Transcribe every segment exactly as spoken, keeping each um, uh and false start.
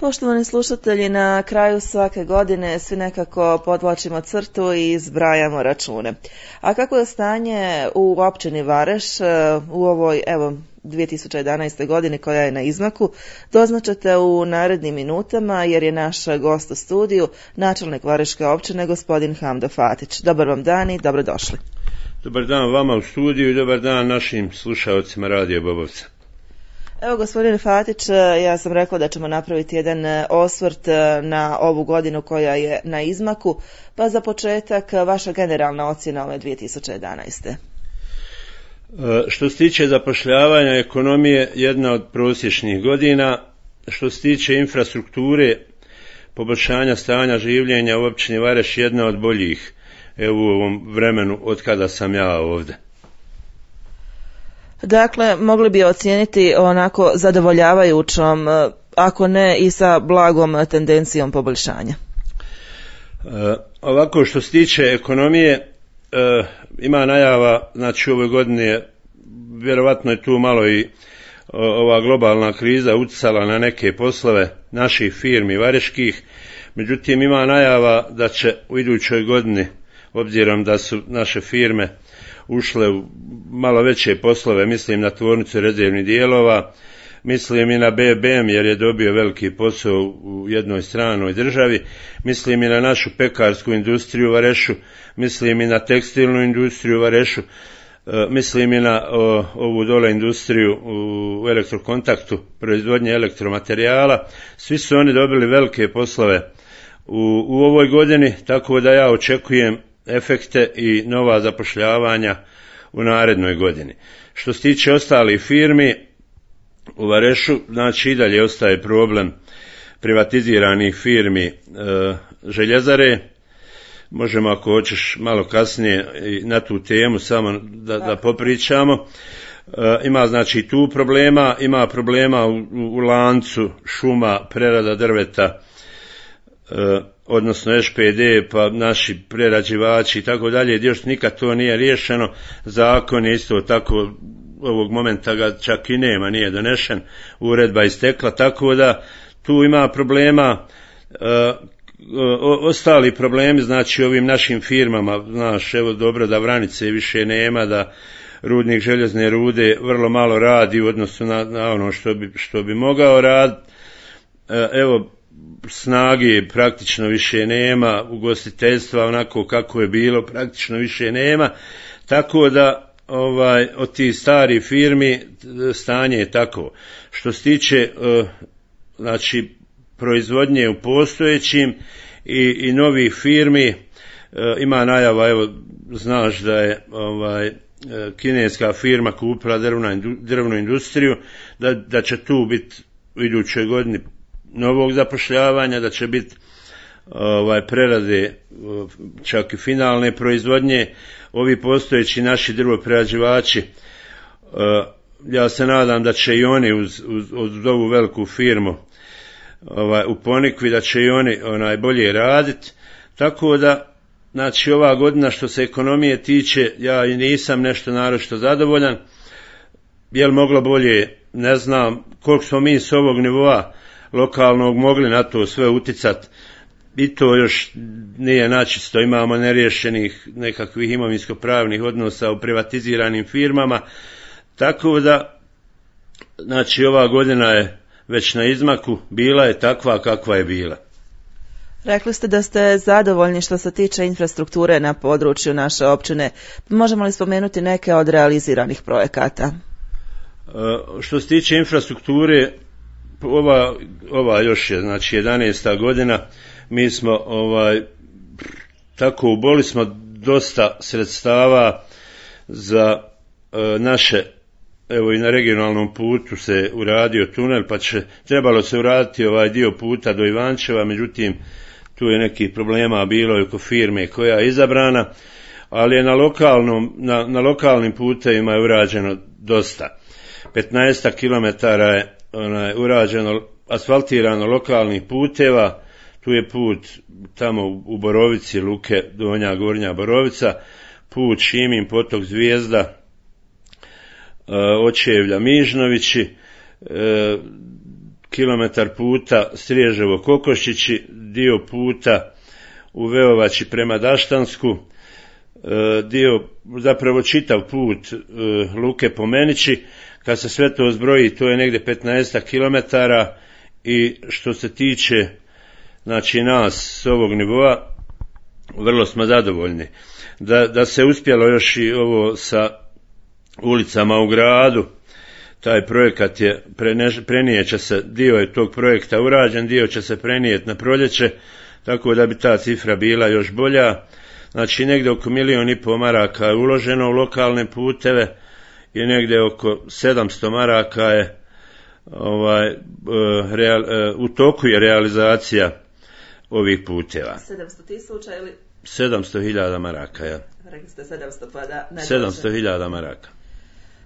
Poštovani slušatelji, na kraju svake godine svi nekako podvlačimo crtu i zbrajamo račune. A kako je stanje u općini Vareš u ovoj, evo, dvije tisuće jedanaeste godini koja je na izmaku, doznaćete u narednim minutama jer je naš gost u studiju, načelnik Vareške općine, gospodin Hamdo Fatić. Dobar vam dan i dobrodošli. Dobar dan vama u studiju i dobar dan našim slušalcima Radio Bobovca. Evo, gospodine Fatić, ja sam rekla da ćemo napraviti jedan osvrt na ovu godinu koja je na izmaku, pa za početak vaša generalna ocjena ove dvije tisuće jedanaeste. Što se tiče zapošljavanja, ekonomije, jedna od prosječnih godina. Što se tiče infrastrukture, poboljšanja stanja življenja u općini Vareš, jedna od boljih evo, u ovom vremenu od kada sam ja ovdje. Dakle, mogli bi ocijeniti onako zadovoljavajućom, ako ne i sa blagom tendencijom poboljšanja. E, ovako, što se tiče ekonomije, e, ima najava, znači u ovoj godini vjerovatno je tu malo i o, ova globalna kriza utjecala na neke poslove naših firmi vareških, međutim ima najava da će u idućoj godini, obzirom da su naše firme ušle u malo veće poslove, mislim na tvornicu rezervnih dijelova, mislim i na B B M jer je dobio veliki posao u jednoj stranoj državi, mislim i na našu pekarsku industriju u Varešu, mislim i na tekstilnu industriju u Varešu, mislim i na o, ovu dole industriju u elektrokontaktu, proizvodnje elektromaterijala. Svi su oni dobili velike poslove u, u ovoj godini, tako da ja očekujem efekte i nova zapošljavanja u narednoj godini. Što se tiče ostalih firmi u Varešu, znači i dalje ostaje problem privatiziranih firmi e, željezare. Možemo, ako hoćeš, malo kasnije i na tu temu samo da, da popričamo. E, ima znači tu problema, ima problema u, u lancu šuma, prerada drveta, e, odnosno Š P D, pa naši prerađivači i tako dalje, još nikad to nije riješeno. Zakon je isto tako, ovog momenta ga čak i nema, nije donešen, uredba istekla, tako da tu ima problema. E, o, ostali problemi, znači ovim našim firmama, znaš, evo dobro da Vranice više nema, da rudnik željezne rude vrlo malo radi u odnosu na, na ono što bi, što bi mogao raditi. E, evo, snage praktično više nema, ugostiteljstva onako kako je bilo praktično više nema, tako da ovaj od tih starih firmi stanje je tako. Što se tiče uh, znači proizvodnje u postojećim i, i novih firmi, uh, ima najava, evo znaš da je ovaj kineska firma kupila drvnu, drvnu industriju, da, da će tu biti u idućoj godini novog zapošljavanja, da će biti ovaj, prerade čak i finalne proizvodnje. Ovi postojeći naši drvoprerađivači, ja se nadam da će i oni uz, uz, uz ovu veliku firmu ovaj, u Ponikvi, da će i oni onaj, bolje raditi, tako da znači ova godina što se ekonomije tiče, ja i nisam nešto naročito zadovoljan. Je li moglo bolje, ne znam, koliko smo mi s ovog nivoa lokalnog mogli na to sve uticati, i to još nije načisto, imamo neriješenih nekakvih imovinsko-pravnih odnosa u privatiziranim firmama, tako da znači ova godina je već na izmaku, bila je takva kakva je bila. Rekli ste da ste zadovoljni što se tiče infrastrukture na području naše općine. Možemo li spomenuti neke od realiziranih projekata? E, što se tiče infrastrukture, ova, ova još je znači jedanaesta godina, mi smo ovaj tako uboli smo dosta sredstava za e, naše, evo i na regionalnom putu se uradio tunel, pa će trebalo se uraditi ovaj dio puta do Ivančeva, međutim tu je nekih problema bilo i oko firme koja je izabrana, ali je na lokalnom na, na lokalnim putevima je urađeno dosta. petnaest kilometara je onaj urađeno, asfaltirano lokalnih puteva. Tu je put tamo u Borovici, Luke, Donja, Gornja Borovica, put Šimin, potok Zvijezda, Očevlja, Mižnovići, kilometar puta Striježevo Kokoščići, dio puta u Veovači prema Daštansku, dio, zapravo čitav put Luke Pomenići. Kad se sve to zbroji, to je negdje petnaest kilometara i što se tiče znači nas s ovog nivoa, vrlo smo zadovoljni. Da, da se uspjelo još i ovo sa ulicama u gradu, taj projekat je, prenijet će se, dio je tog projekta urađen, dio će se prenijeti na proljeće, tako da bi ta cifra bila još bolja. Znači negdje oko milijun i pol maraka je uloženo u lokalne puteve i negdje oko sedamsto maraka je ovaj, real, u toku je realizacija ovih puteva. sedamsto tisuća ili? sedamsto hiljada maraka, ja. Rekli ste sedamsto, pa da. sedamsto hiljada maraka.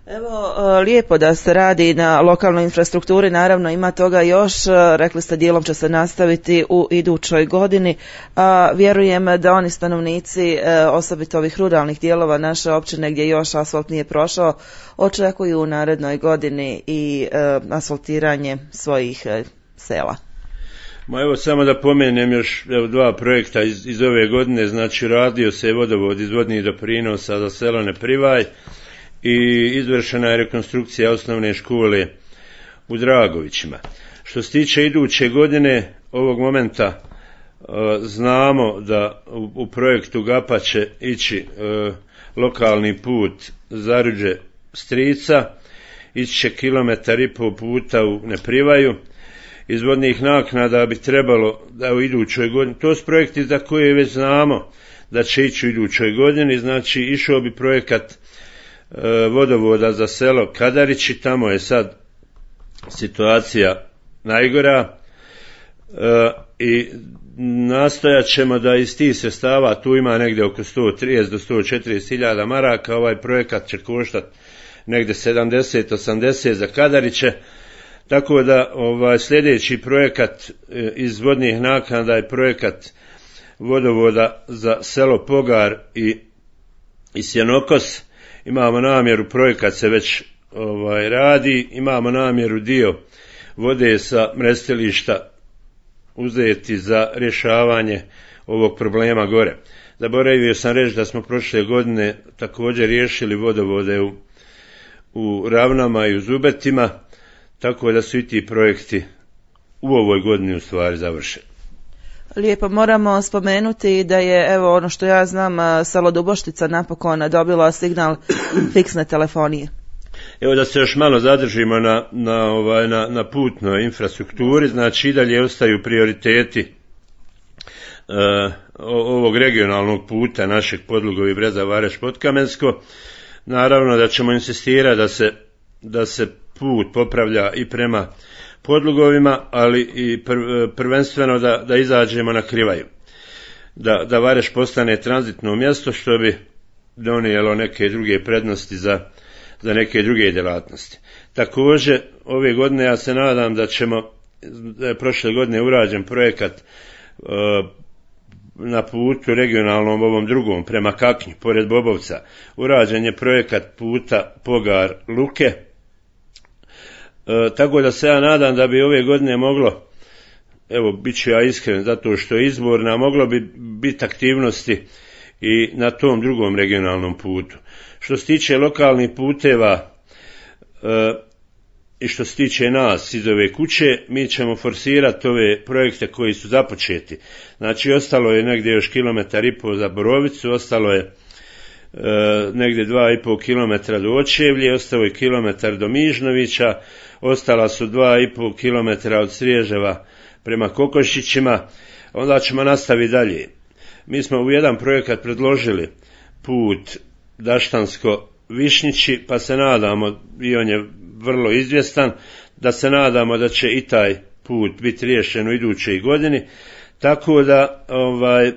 Evo, lijepo da se radi na lokalnoj infrastrukturi, naravno ima toga još, rekli ste dijelom će se nastaviti u idućoj godini, a vjerujem da oni stanovnici, osobito ovih ruralnih dijelova naše općine gdje još asfalt nije prošao, očekuju u narednoj godini i asfaltiranje svojih sela. Ma evo samo da pomenem još evo, dva projekta iz, iz ove godine, znači radio se vodovod iz vodnih doprinosa za selo Neprivaj i izvršena je rekonstrukcija osnovne škole u Dragovićima. Što se tiče iduće godine, ovog momenta e, znamo da u, u projektu GAPA će ići e, lokalni put Zaruđe Strica, ići će kilometar i pol puta u Neprivaju. Iz vodnih naknada bi trebalo da u idućoj godini, to su projekti za koje već znamo da će ići u idućoj godini, znači išao bi projekat vodovoda za selo Kadarići, tamo je sad situacija najgora e, i nastojat ćemo da iz tih sredstava, tu ima negdje oko sto trideset do sto četrdeset hiljada maraka, ovaj projekat će koštati negdje sedamdeset do osamdeset za Kadariće, tako da ovaj sljedeći projekat e, iz vodnih naknada je projekat vodovoda za selo Pogar i, i Sjenokos. Imamo namjeru, projekat se već ovaj, radi, imamo namjeru dio vode sa mrestilišta uzeti za rješavanje ovog problema gore. Zaboravio sam reći da smo prošle godine također riješili vodovode u, u Ravnama i u Zubetima, tako da su i ti projekti u ovoj godini u stvari završeni. Lijepo, moramo spomenuti da je, evo ono što ja znam, selo Duboštica napokon dobilo signal fiksne telefonije. Evo da se još malo zadržimo na, na, ovaj, na, na putnoj infrastrukturi, znači i dalje ostaju prioriteti uh, ovog regionalnog puta našeg Podlugovi Breza Vareš Potkamensko. Naravno da ćemo insistirati da se, da se put popravlja i prema Podlugovima, ali i prvenstveno da, da izađemo na Krivaju. Da, da Vareš postane tranzitno mjesto, što bi donijelo neke druge prednosti za, za neke druge djelatnosti. Također, ove godine ja se nadam da ćemo, da je prošle godine urađen projekat uh, na putu regionalnom ovom drugom prema Kaknji, pored Bobovca. Urađen je projekat puta Pogar Luke, E, tako da se ja nadam da bi ove godine moglo, evo bit ću ja iskren zato što je izborna, moglo bi biti aktivnosti i na tom drugom regionalnom putu. Što se tiče lokalnih puteva e, i što se tiče nas iz ove kuće, mi ćemo forsirati ove projekte koji su započeti. Znači ostalo je negdje još kilometar i pol za Borovicu, ostalo je E, negdje dva i pol kilometra do Očevlje, ostao je kilometar do Mižnovića, ostala su dva i pol kilometra od Sriježeva prema Kokoščićima, onda ćemo nastaviti dalje. Mi smo u jedan projekat predložili put Daštansko-Višnjići, pa se nadamo, i on je vrlo izvjestan, da se nadamo da će i taj put biti riješen u idućoj godini, tako da ovaj e,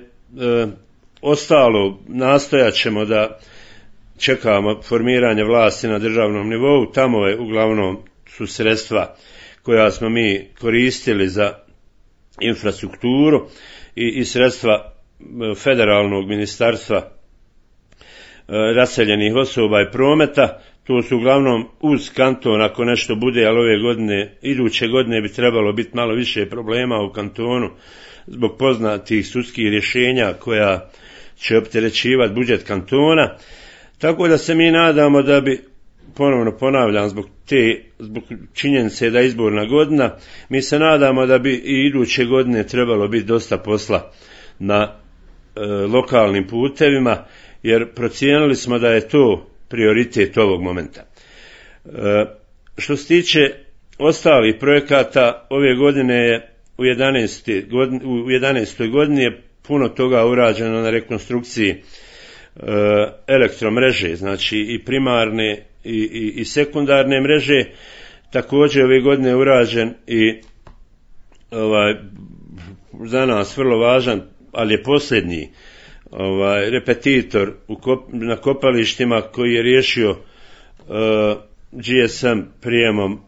ostalo nastojat ćemo da čekamo formiranje vlasti na državnom nivou, tamo je uglavnom su sredstva koja smo mi koristili za infrastrukturu i, i sredstva federalnog ministarstva raseljenih osoba i prometa, to su uglavnom uz kanton ako nešto bude, ali ove godine, iduće godine bi trebalo biti malo više problema u kantonu zbog poznatih sudskih rješenja koja će opterećivati budžet kantona, tako da se mi nadamo da bi, ponovno ponavljam, zbog te, zbog činjenice da je izborna godina, mi se nadamo da bi i iduće godine trebalo biti dosta posla na e, lokalnim putevima, jer procijenili smo da je to prioritet ovog momenta. E, što se tiče ostalih projekata, ove godine je u jedanaestoj godini, u jedanaestoj godini je puno toga urađeno na rekonstrukciji e, elektromreže, znači i primarne i, i, i sekundarne mreže. Također ove godine je urađen i ovaj, za nas vrlo važan, ali je posljednji ovaj, repetitor u kop, na kopalištima koji je riješio uh, G S M prijemom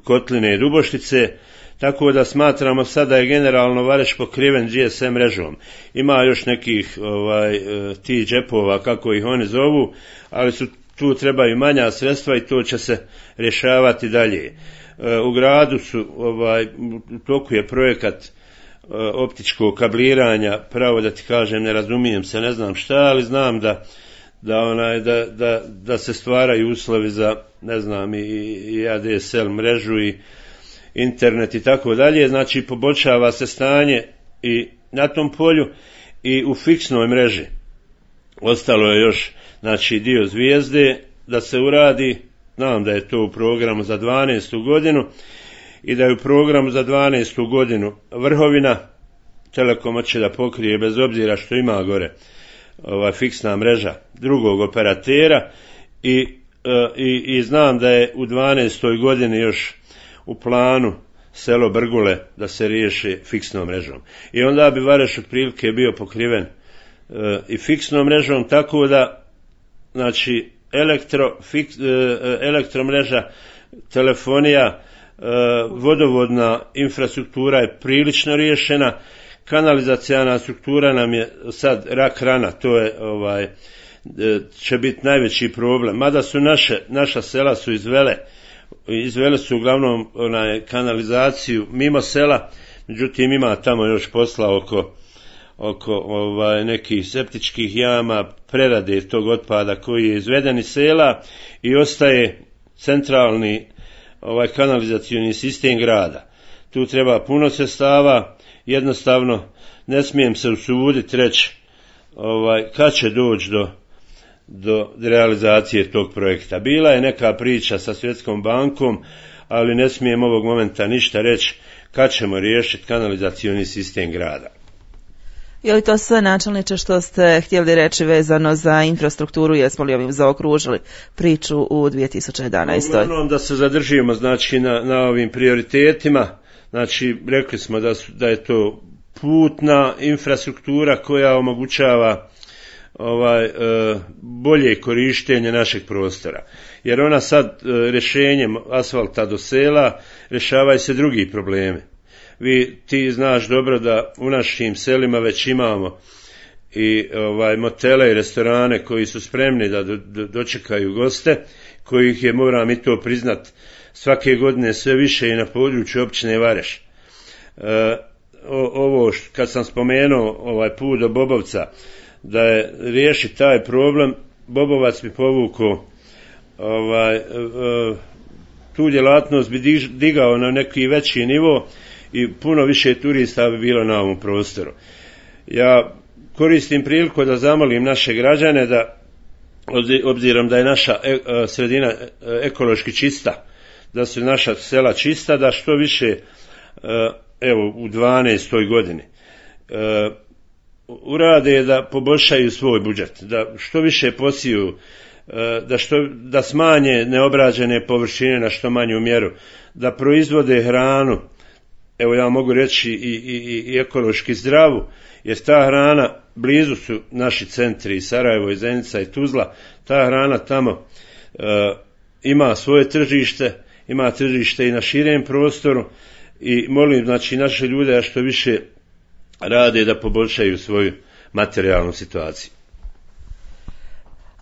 Kotline i Duboštice, tako da smatramo sada je generalno Vareš pokriven G S M mrežom. Ima još nekih ovaj, ti džepova, kako ih oni zovu, ali su, tu trebaju manja sredstva i to će se rješavati dalje. U gradu su, ovaj, u toku je projekat optičkog kabliranja, pravo da ti kažem, ne razumijem se, ne znam šta, ali znam da da onaj da da da se stvaraju uslovi za, ne znam, i, i A D S L mrežu i internet i tako dalje, znači poboljšava se stanje i na tom polju i u fiksnoj mreži. Ostalo je još, znači, dio Zvijezde da se uradi, znam da je to u programu za dvanaestu godinu i da je u programu za dvanaestu godinu Vrhovina. Telekom će da pokrije bez obzira što ima gore ova fiksna mreža drugog operatera i, e, i, i znam da je u dvanaestoj godini još u planu selo Brgule da se riješi fiksnom mrežom. I onda bi Vareš otprilike bio pokriven e, i fiksnom mrežom, tako da, znači, elektro, fiks, e, elektromreža, telefonija, e, vodovodna infrastruktura je prilično riješena, kanalizacijana struktura nam je sad rak rana, to je ovaj, e, će biti najveći problem. Mada su naše, naša sela su izvele Izvele su uglavnom onaj, kanalizaciju mimo sela, međutim ima tamo još posla oko, oko ovaj, nekih septičkih jama, prerade tog otpada koji je izveden iz sela i ostaje centralni ovaj, kanalizacioni sistem grada. Tu treba puno sredstava, jednostavno ne smijem se usuditi reći ovaj, kad će doći do do realizacije tog projekta. Bila je neka priča sa Svjetskom bankom, ali ne smijem ovog momenta ništa reći kad ćemo riješiti kanalizacioni sistem grada. Je li to sve, načelniče, što ste htjeli reći vezano za infrastrukturu, jesmo li ovim zaokružili priču u dvije tisuće jedanaestoj? Uglavnom da se zadržimo, znači, na, na ovim prioritetima, znači rekli smo da, su, da je to putna infrastruktura koja omogućava ovaj e, bolje korištenje našeg prostora, jer ona sad e, rješenjem asfalta do sela rješavaju se drugi problemi. Vi ti znaš dobro da u našim selima već imamo i ovaj motele i restorane koji su spremni da do, do, dočekaju goste, kojih je, moram i to priznat, svake godine sve više i na području općine Vareš. E, o, ovo što, kad sam spomenuo ovaj put do Bobovca, da je riješi taj problem, Bobovac bi povukao ovaj, e, tu djelatnost bi digao na neki veći nivo i puno više turista bi bilo na ovom prostoru. Ja koristim priliku da zamolim naše građane da, obzirom da je naša e, sredina ekološki čista, da su naša sela čista, da što više, e, evo u dvanaestoj godini, e, urade da poboljšaju svoj budžet, da što više posiju, da, što, da smanje neobrađene površine na što manju mjeru, da proizvode hranu, evo ja mogu reći i, i, i ekološki zdravu, jer ta hrana, blizu su naši centri i Sarajevo i Zenica i Tuzla, ta hrana tamo e, ima svoje tržište, ima tržište i na širem prostoru i molim, znači, naše ljude da što više rade da poboljšaju svoju materijalnu situaciju.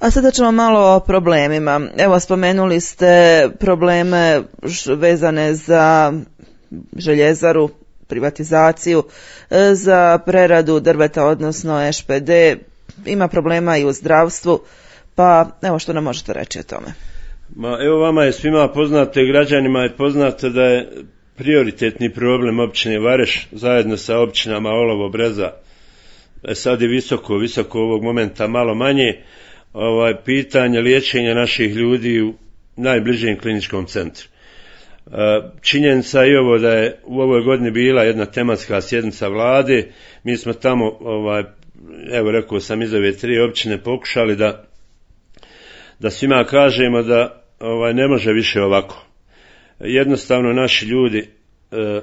A sada ćemo malo o problemima. Evo, spomenuli ste probleme vezane za željezaru, privatizaciju, za preradu drveta, odnosno Š P D. Ima problema i u zdravstvu, pa evo što nam možete reći o tome. Ma, evo vama je svima poznato i građanima je poznato da je prioritetni problem općine Vareš zajedno sa općinama Olovo, Breza, e sad je visoko, visoko ovog momenta malo manje, ovaj, pitanje liječenja naših ljudi u najbližem kliničkom centru. Činjenica je ovo da je u ovoj godini bila jedna tematska sjednica vlade, mi smo tamo, ovaj, evo rekao sam iz ove tri općine pokušali da, da svima kažemo da ovaj, ne može više ovako. Jednostavno naši ljudi e, e,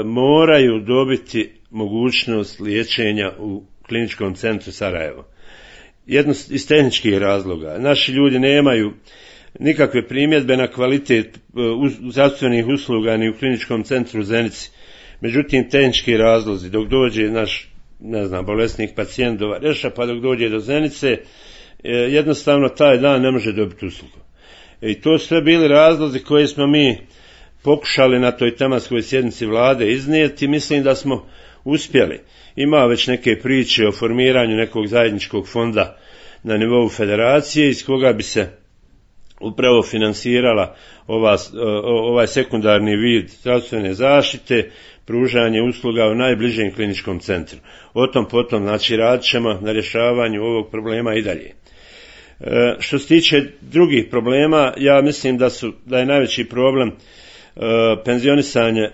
moraju dobiti mogućnost liječenja u kliničkom centru Sarajevo. Jedno iz tehničkih razloga. Naši ljudi nemaju nikakve primjedbe na kvalitet zdravstvenih usluga ni u kliničkom centru Zenici. Međutim, tehnički razlozi, dok dođe naš, ne znam, bolesnik pacijent do Vareša, pa dok dođe do Zenice, jednostavno taj dan ne može dobiti uslugu. I to su sve bili razlozi koje smo mi pokušali na toj tematskoj sjednici vlade iznijeti. Mislim da smo uspjeli. Ima već neke priče o formiranju nekog zajedničkog fonda na nivou federacije iz koga bi se upravo finansirala ova, ovaj sekundarni vid zdravstvene zaštite, pružanje usluga u najbližem kliničkom centru. O tom potom, znači, radit ćemo na rješavanju ovog problema i dalje. E, što se tiče drugih problema, ja mislim da su da je najveći problem e, penzionisanje e,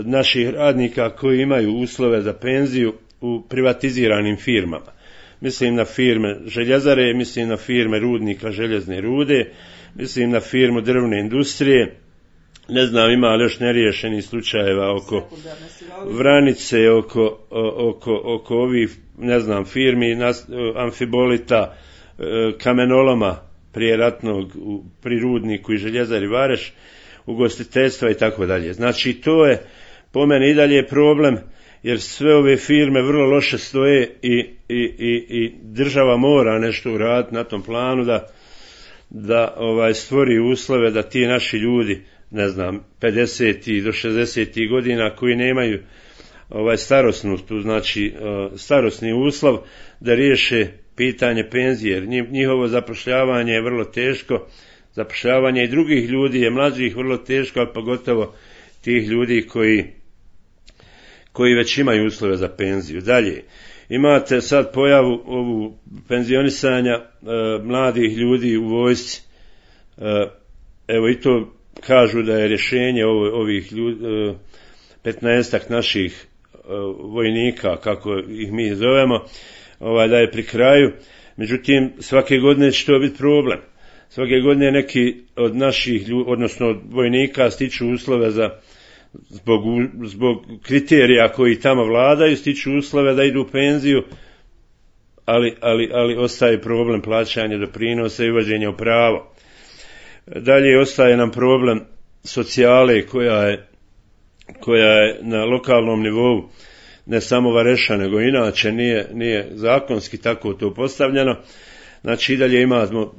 naših radnika koji imaju uslove za penziju u privatiziranim firmama. Mislim na firme željezare, mislim na firme rudnika željezne rude, mislim na firmu drvne industrije. Ne znam, ima li još neriješenih slučajeva oko Vranice, oko, oko, oko ovih, ne znam, firmi Amfibolita, kamenoloma prije ratnog pri rudniku i željezari Vareš, ugostiteljstva i tako dalje. Znači, to je po meni i dalje problem, jer sve ove firme vrlo loše stoje i, i, i, i država mora nešto uraditi na tom planu da, da ovaj, stvori uslove da ti naši ljudi, ne znam, pedeset do šezdeset godina koji nemaju ovaj starosnu, tu znači starosni uslov, da riješe pitanje penzije, jer njihovo zapošljavanje je vrlo teško, zapošljavanje i drugih ljudi je mlađih vrlo teško, ali pogotovo tih ljudi koji koji već imaju uslove za penziju. Dalje, imate sad pojavu ovu penzionisanja e, mladih ljudi u vojsci. E, evo i to kažu da je rješenje ovo, ovih ljudi, e, petnaestak naših e, vojnika, kako ih mi zovemo, ovaj, da je pri kraju. Međutim, svake godine će to biti problem. Svake godine neki od naših ljudi, odnosno od vojnika, stiču uslove za Zbog, zbog kriterija koji tamo vladaju, stiču uslove da idu u penziju, ali, ali, ali ostaje problem plaćanja doprinosa i uvođenja u pravo. Dalje ostaje nam problem socijale koja je, koja je na lokalnom nivou, ne samo Vareša, nego inače nije, nije zakonski tako to postavljeno. Znači i dalje imamo e,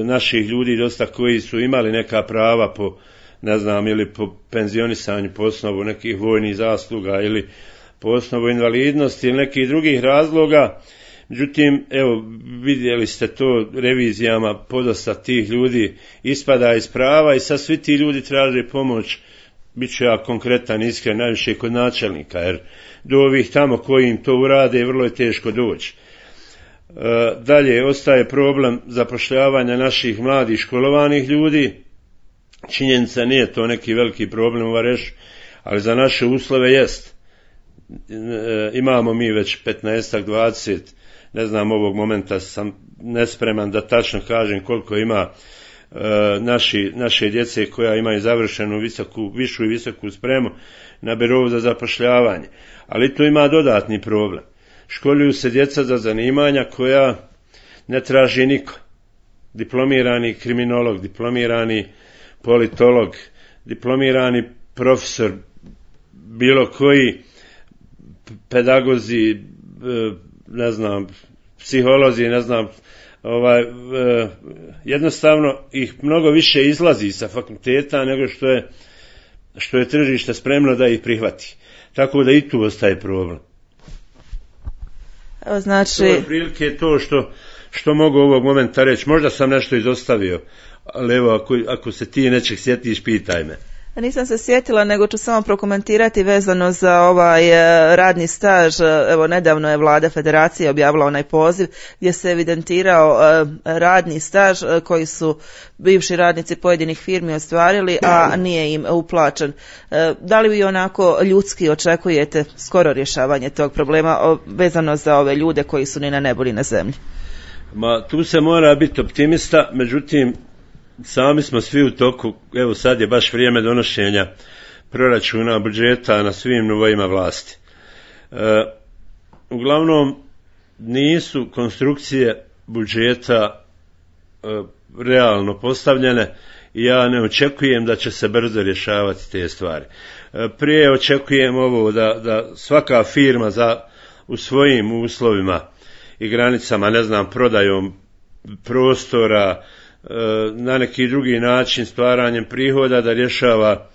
naših ljudi dosta koji su imali neka prava po, ne znam, ili po penzionisanju po osnovu nekih vojnih zasluga ili po osnovu invalidnosti ili nekih drugih razloga. Međutim, evo, vidjeli ste to revizijama, podosta tih ljudi ispada iz prava i sad svi ti ljudi traže pomoć. Biću ja konkretan, iskren, najviše kod načelnika, jer do ovih tamo koji im to urade vrlo je teško doći. E, dalje, ostaje problem zapošljavanja naših mladih školovanih ljudi. Činjenica nije to neki veliki problem u Varešu, ali za naše uslove jest. E, imamo mi već petnaest dvadeset, ne znam, ovog momenta sam nespreman da tačno kažem koliko ima e, naši, naše djece koja imaju završenu visoku, višu i visoku spremu na birou za zapošljavanje. Ali tu ima dodatni problem. Školuju se djeca za zanimanja koja ne traži niko. Diplomirani kriminolog, diplomirani politolog, diplomirani profesor, bilo koji pedagozi, ne znam, psiholozi, ne znam, ovaj, e, jednostavno ih mnogo više izlazi sa fakulteta nego što je, što je tržište spremno da ih prihvati. Tako da i tu ostaje problem. Evo, znači... To je prilike to što, što mogu ovog momenta reći. Možda sam nešto izostavio, ali evo, ako, ako se ti nečeg sjetiš, pitaj me. Nisam se sjetila, nego ću samo prokomentirati vezano za ovaj radni staž. Evo, nedavno je Vlada Federacije objavila onaj poziv gdje se evidentirao radni staž koji su bivši radnici pojedinih firmi ostvarili, a nije im uplaćen. Da li vi onako ljudski očekujete skoro rješavanje tog problema vezano za ove ljude koji su ni na nebu ni na zemlji? Ma, tu se mora biti optimista, međutim, sami smo svi u toku, evo sad je baš vrijeme donošenja proračuna, budžeta na svim nivoima vlasti. E, uglavnom, nisu konstrukcije budžeta e, realno postavljene i ja ne očekujem da će se brzo rješavati te stvari. E, prije očekujem ovo da, da svaka firma za, u svojim uslovima i granicama, ne znam, prodajom prostora, na neki drugi način stvaranjem prihoda da rješava,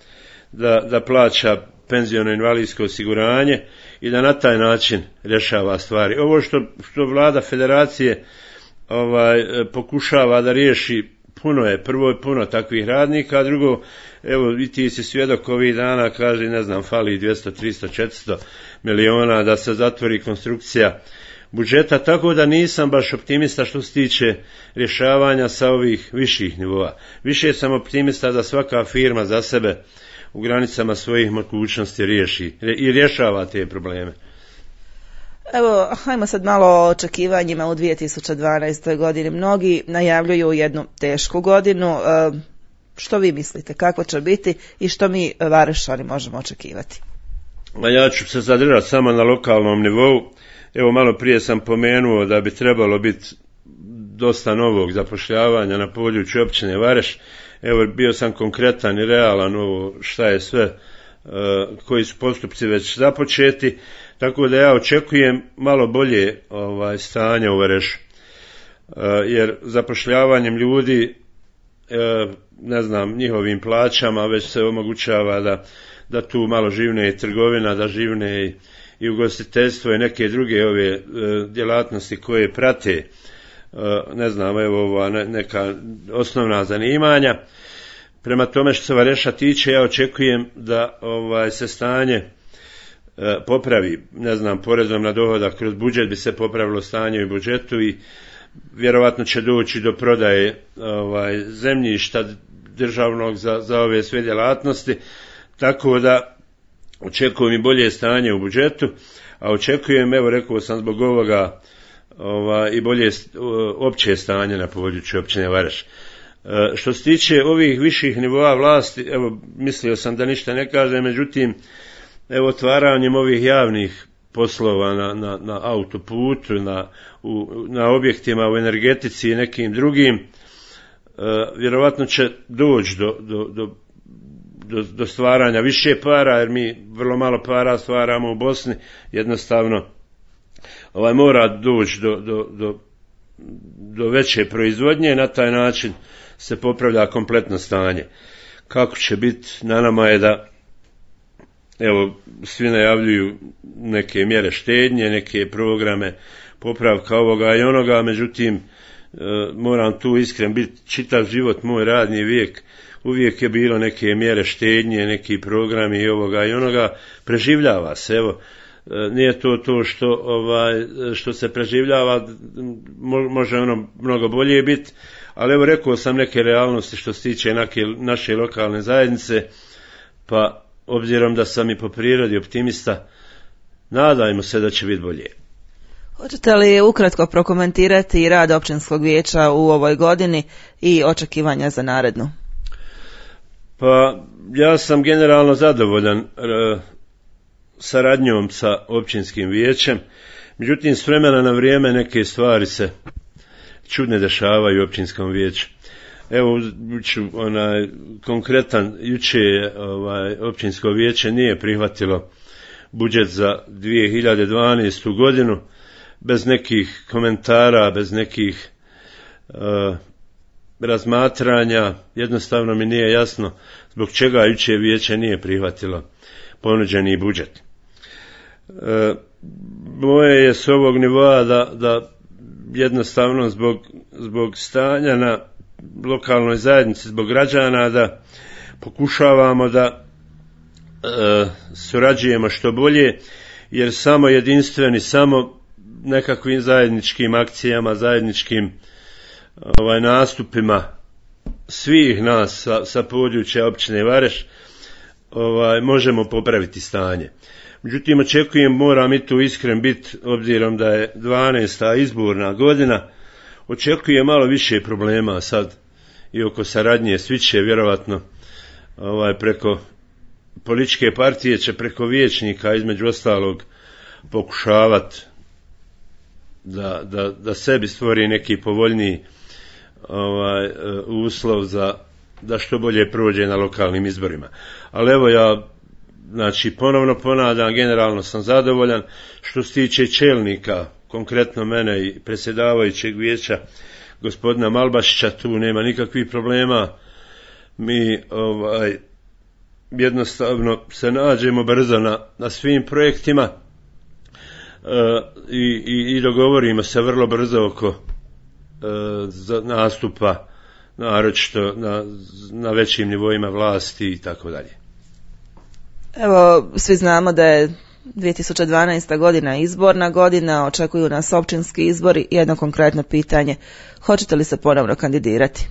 da, da plaća penziono invalidsko osiguranje i da na taj način rješava stvari. Ovo što, što Vlada Federacije ovaj, pokušava da riješi, puno je, prvo je puno takvih radnika, a drugo, evo i ti si svjedok ovih dana, kaže, ne znam, fali dvjesto, tristo, četiristo miliona da se zatvori konstrukcija budžeta, tako da nisam baš optimista što se tiče rješavanja sa ovih viših nivoa. Više sam optimista da svaka firma za sebe u granicama svojih mogućnosti riješi i rješava te probleme. Evo, hajmo sad malo o očekivanjima u dvije tisuće dvanaestoj godini. Mnogi najavljuju jednu tešku godinu. Što vi mislite, kako će biti i što mi Varešani možemo očekivati? Ja ću se zadržati samo na lokalnom nivou. Evo, malo prije sam pomenuo da bi trebalo biti dosta novog zapošljavanja na području općine Vareš. Evo, bio sam konkretan i realan ovo šta je sve, koji su postupci već započeti, tako da ja očekujem malo bolje ovaj, stanje u Varešu. Jer zapošljavanjem ljudi, ne znam, njihovim plaćama već se omogućava da, da tu malo živne i trgovina, da živne i i ugostiteljstvo i neke druge ove e, djelatnosti koje prate, e, ne znam, evo ova ne, neka osnovna zanimanja. Prema tome što se Vareša tiče, ja očekujem da ovaj se stanje e, popravi, ne znam, porezom na dohodak kroz budžet bi se popravilo stanje u budžetu i vjerovatno će doći do prodaje ovaj zemljišta državnog za, za ove sve djelatnosti, tako da očekujem i bolje stanje u budžetu, a očekujem, evo rekao sam zbog ovoga, ova, i bolje opće stanje na području općine Vareš. E, što se tiče ovih viših nivoa vlasti, evo mislio sam da ništa ne kažem, međutim, evo otvaranjem ovih javnih poslova na, na, na autoputu, na, u, na objektima u energetici i nekim drugim, e, vjerovatno će doći do, do, do Do, do stvaranja više para, jer mi vrlo malo para stvaramo u Bosni, jednostavno ovaj mora doći do, do, do, do veće proizvodnje, na taj način se popravlja kompletno stanje. Kako će biti, na nama je da, evo, svi najavljuju neke mjere štednje, neke programe popravka ovoga i onoga, međutim, e, moram tu iskren biti, čitav život, moj radni vijek, uvijek je bilo neke mjere štednje, neki programi i ovoga i onoga, preživljava se, evo, nije to to što, ovaj, što se preživljava, može ono mnogo bolje biti, ali evo rekao sam neke realnosti što se tiče neke, naše lokalne zajednice, pa obzirom da sam i po prirodi optimista, nadajmo se da će biti bolje. Hoćete li ukratko prokomentirati rad općinskog vijeća u ovoj godini i očekivanja za narednu? Pa ja sam generalno zadovoljan e, saradnjom sa općinskim vijećem, međutim s vremena na vrijeme neke stvari se čudne dešavaju u općinskom vijeću. Evo, ću, onaj, konkretan, juče ovaj, općinsko vijeće nije prihvatilo budžet za dvije hiljade dvanaestu godinu, bez nekih komentara, bez nekih uh, razmatranja, jednostavno mi nije jasno zbog čega jučer vijeće nije prihvatilo ponuđeni budžet. E, moje je s ovog nivoa da, da jednostavno zbog, zbog stanja na lokalnoj zajednici, zbog građana, da pokušavamo da e, surađujemo što bolje, jer samo jedinstveni, samo nekakvim zajedničkim akcijama, zajedničkim ovaj, nastupima svih nas sa, sa područja općine Vareš ovaj, možemo popraviti stanje. Međutim, očekujem, moram i tu iskren biti, obzirom da je dvanaesta izborna godina, očekujem malo više problema sad i oko saradnje. Svi će vjerovatno ovaj, preko političke partije, će preko vijećnika između ostalog pokušavati da, da, da sebi stvori neki povoljniji ovaj, uslov za da što bolje prođe na lokalnim izborima. Ali evo ja, znači, ponovno ponavljam, generalno sam zadovoljan. Što se tiče čelnika, konkretno mene i predsjedavajućeg vijeća gospodina Malbašića, tu nema nikakvih problema. Mi ovaj, jednostavno se nađemo brzo na, na svim projektima e, i, i, i dogovorimo se vrlo brzo oko za nastupa, naročito na, na većim nivoima vlasti i tako dalje. Evo, svi znamo da je dvije tisuće dvanaesta godina izborna godina, očekuju nas općinski izbori. Jedno konkretno pitanje, hoćete li se ponovno kandidirati?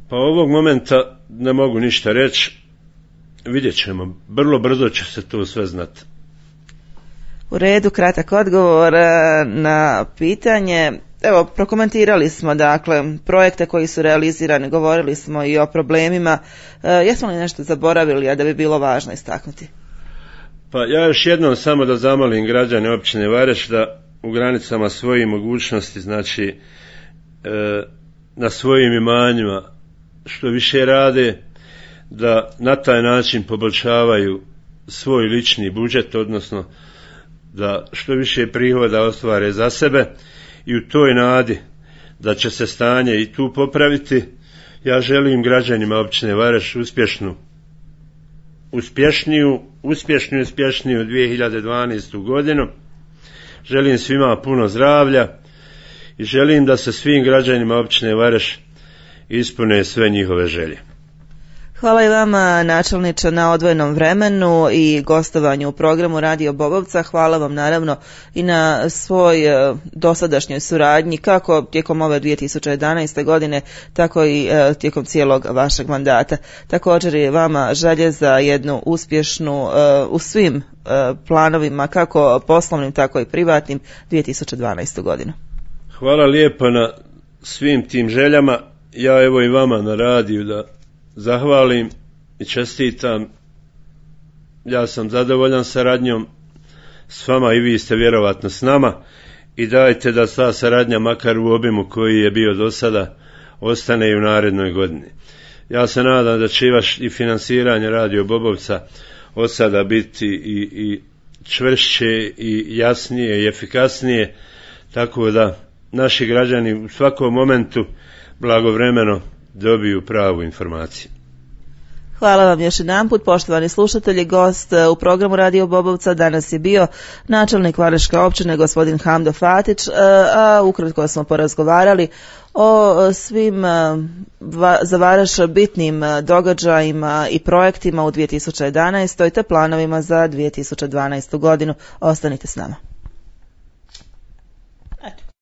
Pa ovog momenta ne mogu ništa reći, vidjet ćemo, vrlo brzo će se to sve znati. U redu, kratak odgovor na pitanje. Evo, prokomentirali smo dakle projekte koji su realizirani, govorili smo i o problemima. E, jesmo li nešto zaboravili, a da bi bilo važno istaknuti? Pa ja još jednom samo da zamolim građane općine Vareš da u granicama svojih mogućnosti, znači e, na svojim imanjima što više rade, da na taj način poboljšavaju svoj lični budžet, odnosno da što više prihoda ostvare za sebe. I u toj nadi da će se stanje i tu popraviti, ja želim građanima općine Vareš uspješnu, uspješniju, uspješniju, uspješniju dvije hiljade dvanaestu godinu. Želim svima puno zdravlja i želim da se svim građanima općine Vareš ispune sve njihove želje. Hvala i vama, načelniče, na odvojenom vremenu i gostovanju u programu Radio Bobovca. Hvala vam naravno i na svoj dosadašnjoj suradnji, kako tijekom ove dvije tisuće jedanaeste godine, tako i tijekom cijelog vašeg mandata. Također je vama želje za jednu uspješnu u svim planovima, kako poslovnim, tako i privatnim, dvije tisuće dvanaestu godinu. Hvala lijepo na svim tim željama. Ja evo i vama na radiju da zahvalim i čestitam. Ja sam zadovoljan saradnjom s vama i vi ste vjerovatno s nama i dajte da ta saradnja makar u obimu koji je bio do sada ostane i u narednoj godini. Ja se nadam da će i vaš i finansiranje Radio Bobovca od sada biti i, i čvršće i jasnije i efikasnije, tako da naši građani u svakom momentu blagovremeno dobiju pravu informaciju. Hvala vam još jedanput, poštovani slušatelji. Gost u programu Radio Bobovca danas je bio načelnik Vareške općine gospodin Hamdo Fatić, a ukratko smo porazgovarali o svim za Vareš bitnim događajima i projektima u dvije tisuće jedanaestoj te planovima za dvije tisuće dvanaestu godinu. Ostanite s nama.